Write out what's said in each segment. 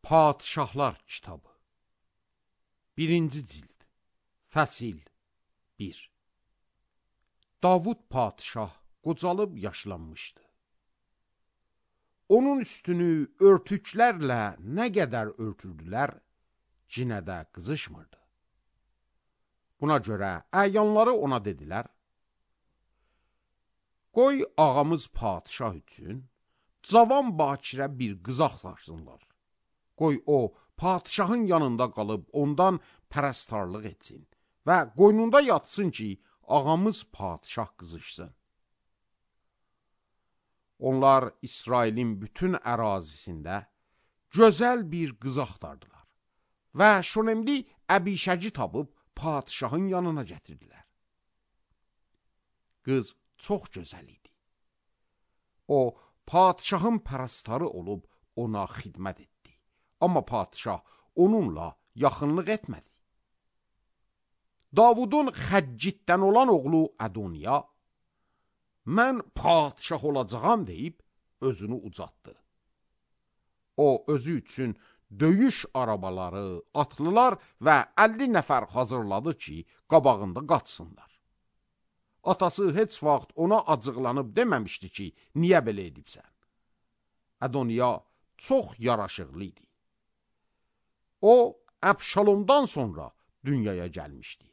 Padişahlar kitabı 1-ci cild Fəsil 1. Davud padişah qocalıb yaşlanmışdı. Onun üstünü örtüklərlə nə qədər örtürdülər, cinə də qızışmırdı. Buna görə əyanları ona dedilər, qoy ağamız padişah üçün cavan bakirə bir qız axtarsınlar. Qoy o, padişahın yanında qalıb ondan pərəstarlıq etsin və qoynunda yatsın ki, ağamız padişah qızışsın. Onlar İsrailin bütün ərazisində gözəl bir qız axtardılar və Şunemli Əbişəci tapıb padişahın yanına gətirdilər. Qız çox gözəl idi. O, padişahın pərəstarı olub ona xidmət etdi. Amma padişah onunla yaxınlıq etmədi. Davudun Xəccitdən olan oğlu Ədoniya, mən padişah olacağam deyib özünü ucatdı. O, özü üçün döyüş arabaları, atlılar və 50 nəfər hazırladı ki, qabağında qaçsınlar. Atası heç vaxt ona acıqlanıb deməmişdi ki, niyə belə edibsən? Ədoniya çox yaraşıqlı idi. O, Əbşalomdan sonra dünyaya gəlmişdi.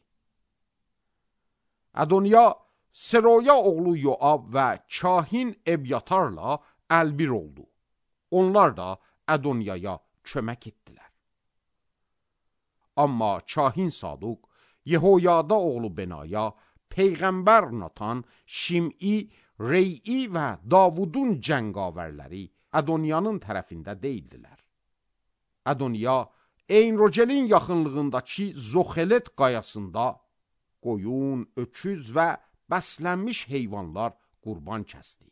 Ədoniya, Seroya oğlu Yoab və kahin Ebyatarla əlbir oldu. Onlar da Ədoniyaya kömək etdilər. Amma kahin Saduq, Yehoyada oğlu Benaya, Peyğəmbər Natan, Şim'i, Rey'i və Davudun cəngavərləri Ədoniyanın tərəfində deyildilər. Ədoniya, Eynrogelin yaxınlığındakı Zoxelet qayasında qoyun, öküz və bəslənmiş heyvanlar qurban kəsdi.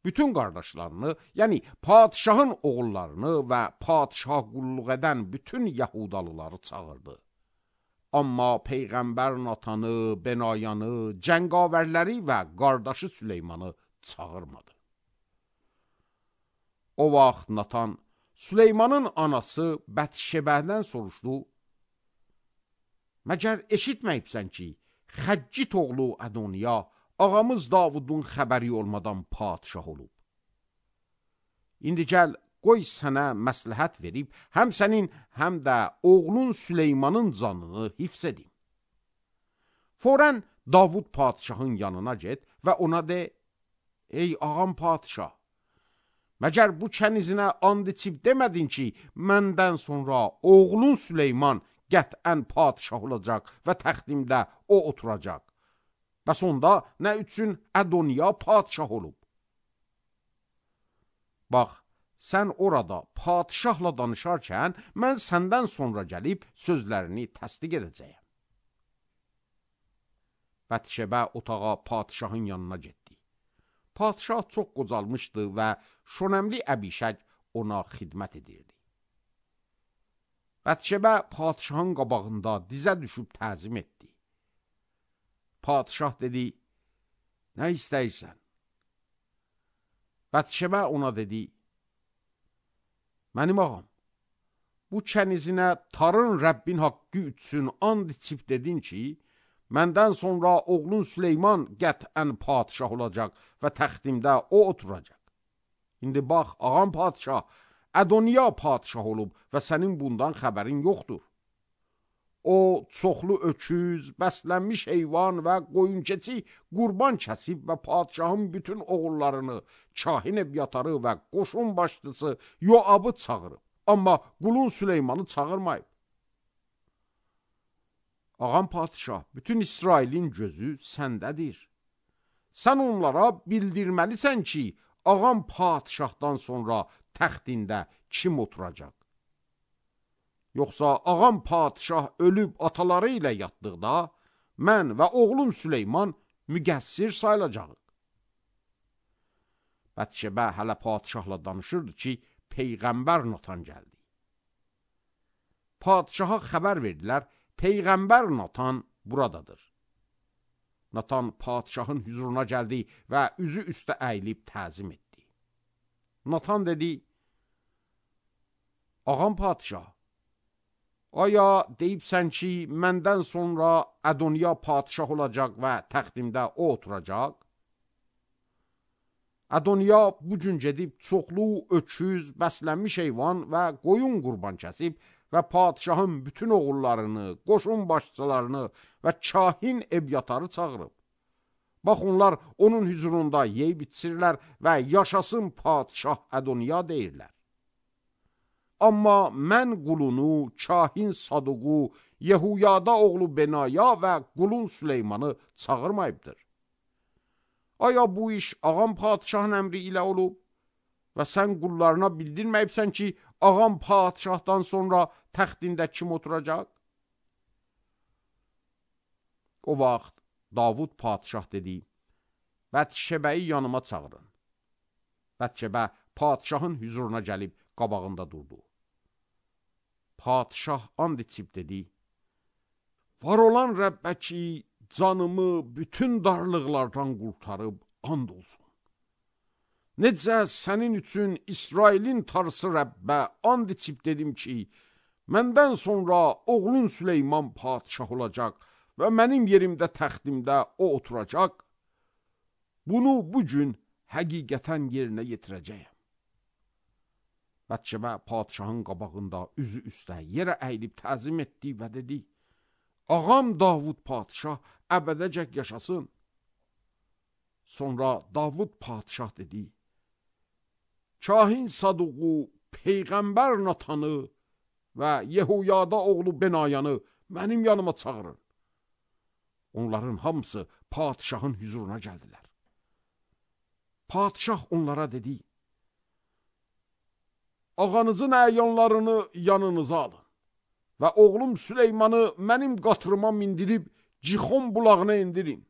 Bütün qardaşlarını, yəni padişahın oğullarını və padişah qulluq edən bütün Yahudalıları çağırdı. Amma Peyğəmbər Natanı, Benayanı, cəngavərləri və qardaşı Süleymanı çağırmadı. O vaxt Natan, Süleymanın anası Bətşebədən soruşdu, məgər eşitməyibsən ki, Xəccit oğlu Ədoniya, ağamız Davudun xəbəri olmadan padişah olub. İndi gəl, qoy sənə məsləhət verib, həm sənin, həm də oğlun Süleymanın canını hifz edin. Forən Davud padişahın yanına get və ona de, ey ağam padişah, məgər bu kənizinə and içib demədin ki, məndən sonra oğlun Süleyman qətən padişah olacaq və təxtimdə o oturacaq. Bəs onda nə üçün Ədoniya padişah olub? Bax, sən orada padişahla danışarkən, mən səndən sonra gəlib sözlərini təsdiq edəcəyəm. Bətşebə otağa padişahın yanına getdi. Padişah çox qocalmışdı və Şunemli Əbişək ona xidmət edirdi. Bətşebə padişahın qabağında dizə düşüb təzim etdi. Padişah dedi, nə istəyirsən? Bətşebə ona dedi, mənim ağam, bu kənizinə tarın Rəbbin haqqı üçün and içib dedin ki, məndən sonra oğlun Süleyman qətən padişah olacaq və təxtimdə o oturacaq. İndi bax, ağam padişah, Ədoniya padişah olub və sənin bundan xəbərin yoxdur. O, çoxlu öküz, bəslənmiş heyvan və qoyun-keçi qurban kəsib və padişahın bütün oğullarını, kahin Ebyatarı və qoşun başçısı Yoabı çağırıb. Amma qulun Süleymanı çağırmayıb. Ağam padişah, bütün İsrailin gözü səndədir. Sən onlara bildirməlisən ki, ağam padişahdan sonra təxtində kim oturacaq? Yoxsa ağam padişah ölüb ataları ilə yatdıqda, mən və oğlum Süleyman müqəssir sayılacaq. Bətşebə hələ padişahla danışırdı ki, Peyğəmbər Natan gəldi. Padişaha xəbər verdilər, Peyğəmbər Natan buradadır. Natan padişahın hüzuruna gəldi və üzü üstə əyilib təzim etdi. Natan dedi, Ağam padişah, aya deyibsən ki, məndən sonra Ədoniya padişah olacaq və təxtimdə o oturacaq? Ədoniya bu gün gedib çoxlu öküz, bəslənmiş heyvan və qoyun qurban kəsib və padişahın bütün oğullarını, qoşun başçılarını və kahin Ebyatarı çağırıb. Bax, onlar onun hüzurunda yeyib içirlər və yaşasın padişah Ədoniya deyirlər. Amma mən qulunu, kahin Saduqu, Yehuyada oğlu Benaya və qulun Süleymanı çağırmayıbdır. Aya bu iş ağam padişahın əmri ilə olub və sən qullarına bildirməyibsən ki, ağam padişahdan sonra təxtində kim oturacaq? O vaxt Davud padişah dedi, Bətşebəyi yanıma çağırın. Bətşebə padişahın hüzuruna gəlib qabağında durdu. Padişah and içib dedi, var olan Rəbbə ki, canımı bütün darlıqlardan qurtarıb and olsun. Necə sənin üçün İsrailin tarısı Rəbbə and içib dedim ki, məndən sonra oğlun Süleyman padişah olacaq və mənim yerimdə təxtimdə o oturacaq. Bunu bugün həqiqətən yerinə yetirəcəyəm. Bətşebə padişahın qabağında üzü üstə yerə əyilib təzim etdi və dedi, ağam Davud padişah əbədəcək yaşasın. Sonra Davud padişah dedi, kahin Saduqu, Peyğəmbər Natanı və Yehuyada oğlu Benayanı mənim yanıma çağırın. Onların hamısı padişahın hüzuruna gəldilər. Padişah onlara dedi, ağanızın əyanlarını yanınıza alın və oğlum Süleymanı mənim qatırıma mindirib Cixon bulağına indirin.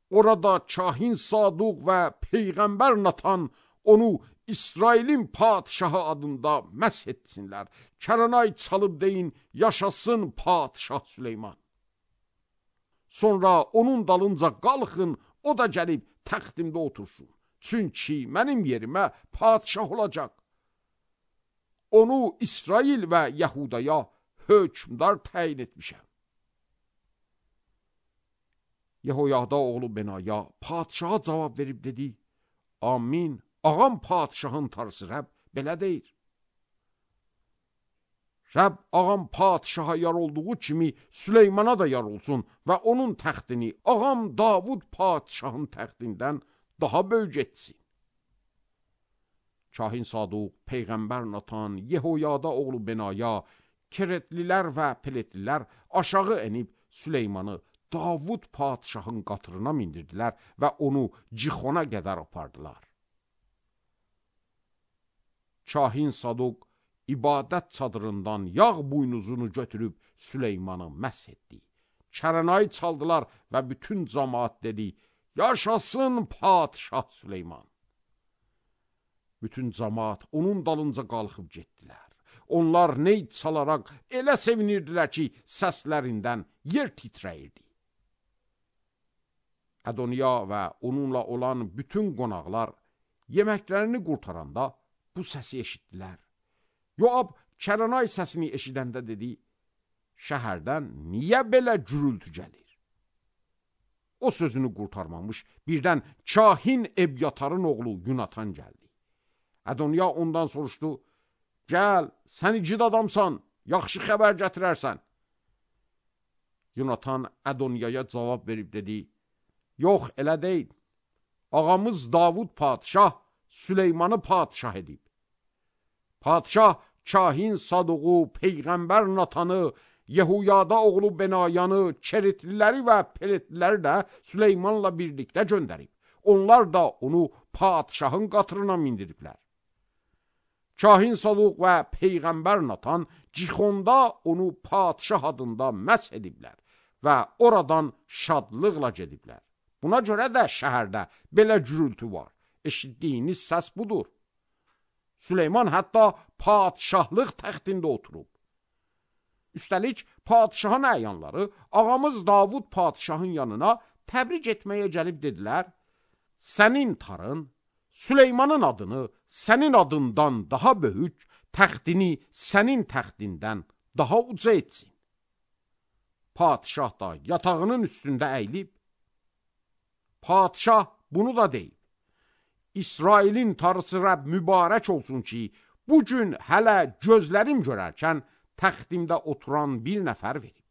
Orada kahin Saduq və Peyğəmbər Natan onu İsrailin padişahı adında məsh etsinlər. Kəranay çalıb deyin, yaşasın padişah Süleyman. Sonra onun dalınca qalxın, o da gəlib təxtimdə otursun. Çünki mənim yerimə padişah olacaq. Onu İsrail və Yahudaya hökmdar təyin etmişəm. Yehoyada oğlu Benaya padişaha cavab verib dedi, amin, ağam padişahın tarısı Rəbb belə deyir. Rəbb ağam padişaha yar olduğu kimi Süleymana da yar olsun və onun təxtini ağam Davud padişahın təxtindən daha böyük etsin. Kahin Saduq, Peyğəmbər Natan, Yehoyada oğlu Benaya, Keretlilər və Peletlilər aşağı enib Süleymanı Davud padişahın qatırına mindirdilər və onu Cixona qədər apardılar. Kahin Saduq ibadət çadırından yağ buynuzunu götürüb Süleymanı məsh etdi. Kəranayı çaldılar və bütün cəmaat dedi, yaşasın padişah Süleyman. Bütün cəmaat onun dalınca qalxıb getdilər. Onlar ney çalaraq elə sevinirdilər ki, səslərindən yer titrəyirdi. Ədoniya və onunla olan bütün qonaqlar yeməklərini qurtaranda bu səsi eşitdilər. Yoab Kəranay səsini eşidəndə dedi, şəhərdən niyə belə gürültü gəlir? O sözünü qurtarmamış, birdən kahin Ebyatarın oğlu Yunatan gəldi. Ədoniya ondan soruşdu, gəl, sən igid adamsan, yaxşı xəbər gətirərsən. Yunatan Ədoniyaya cavab verib dedi, yox, elə deyil. Ağamız Davud padişah Süleymanı padişah edib. Padişah kahin Saduqu, Peyğəmbər Natanı, Yehuyada oğlu Benayanı, Keretliləri və Peletliləri də Süleymanla birlikdə göndərib. Onlar da onu padişahın qatırına mindiriblər. Kahin Saduq və Peyğəmbər Natan Cixonda onu padişah adında məsh ediblər və oradan şadlıqla gediblər. Buna görə də şəhərdə belə gürültü var. Eşitdiyiniz səs budur. Süleyman hətta padişahlıq təxtində oturub. Üstəlik, padişahın əyanları ağamız Davud padişahın yanına təbrik etməyə gəlib dedilər, sənin tarın Süleymanın adını sənin adından daha böyük, təxtini sənin təxtindən daha uca etsin. Padişah da yatağının üstündə əyilib, padişah bunu da deyib, İsrailin Tanrısı Rəbb mübarək olsun ki, bugün hələ gözlərim görərkən təxtimdə oturan bir nəfər verib.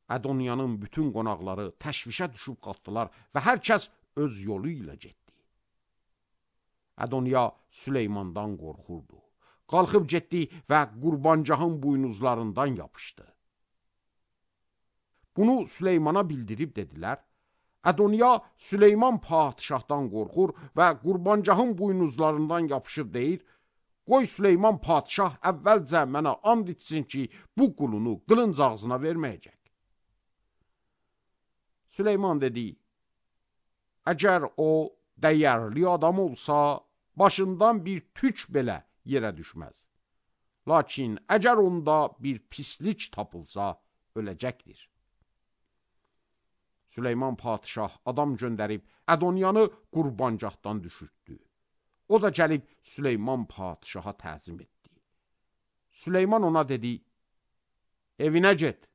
Adoniyanın bütün qonaqları təşvişə düşüb qalxdılar və hər kəs öz yolu ilə getdi. Adoniya Süleymandan qorxurdu. Qalxıb getdi və qurbancağın buynuzlarından yapışdı. Bunu Süleymana bildirib dedilər. Adoniya Süleyman padişahdan qorxur və qurbancağın buynuzlarından yapışıb deyir, qoy Süleyman padişah əvvəlcə mənə and içsin ki, bu qulunu qılınc ağzına verməyəcək. Süleyman dedi, əgər o dəyərli adam olsa, başından bir tük belə yerə düşməz. Lakin əgər onda bir pislik tapılsa, öləcəkdir. Süleyman padişah adam göndərib Adoniyanı qurbancaqdan düşürtdü. O da gəlib Süleyman padişaha təzim etdi. Süleyman ona dedi, evinə get,